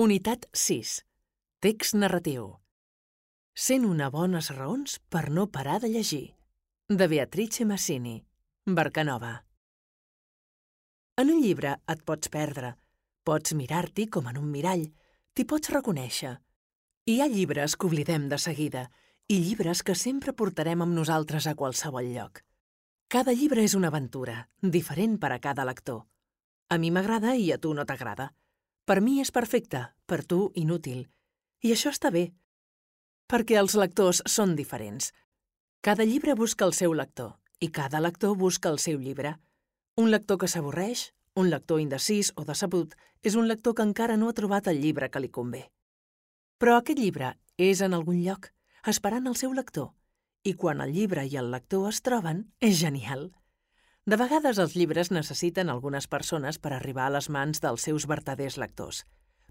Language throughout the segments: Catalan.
Unitat 6. Text narratiu. 101 bones raons per no parar de llegir. De Beatrice Massini. Barcanova. En un llibre et pots perdre. Pots mirar-t'hi com en un mirall. T'hi pots reconèixer. Hi ha llibres que oblidem de seguida i llibres que sempre portarem amb nosaltres a qualsevol lloc. Cada llibre és una aventura, diferent per a cada lector. A mi m'agrada i a tu no t'agrada. Per mi és perfecte, per tu inútil. I això està bé, perquè els lectors són diferents. Cada llibre busca el seu lector i cada lector busca el seu llibre. Un lector que s'avorreix, un lector indecís o decebut, és un lector que encara no ha trobat el llibre que li convé. Però aquest llibre és en algun lloc, esperant el seu lector, i quan el llibre i el lector es troben, és genial. De vegades els llibres necessiten algunes persones per arribar a les mans dels seus vertaders lectors.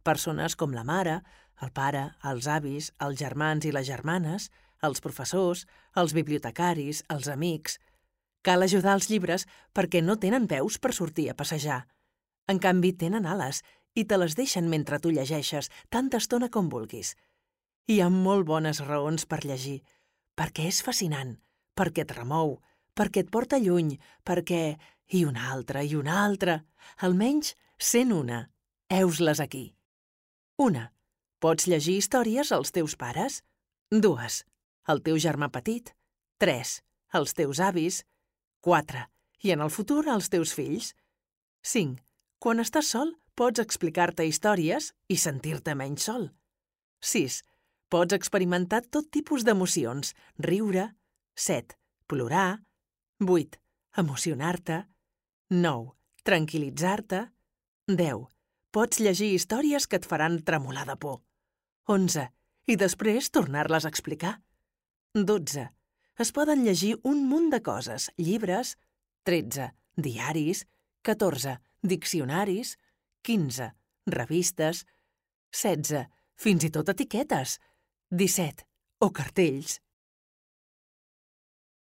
Persones com la mare, el pare, els avis, els germans i les germanes, els professors, els bibliotecaris, els amics. Cal ajudar els llibres perquè no tenen peus per sortir a passejar. En canvi, tenen ales i te les deixen mentre tu llegeixes tanta estona com vulguis. Hi ha molt bones raons per llegir, perquè és fascinant, perquè et remou, perquè et porta lluny, perquè... I una altra, almenys 101. Heus-les aquí. 1. Pots llegir històries als teus pares. 2. Al teu germà petit. 3. Als teus avis. 4. I en el futur als teus fills. 5. Quan estàs sol, pots explicar-te històries i sentir-te menys sol. 6. Pots experimentar tot tipus d'emocions, riure. 7. Plorar. 8. Emocionar-te. 9. Tranquil·litzar-te. 10. Pots llegir històries que et faran tremolar de por. 11. I després tornar-les a explicar. 12. Es poden llegir un munt de coses, llibres. 13. Diaris. 14. Diccionaris. 15. Revistes. 16. Fins i tot etiquetes. 17. O cartells.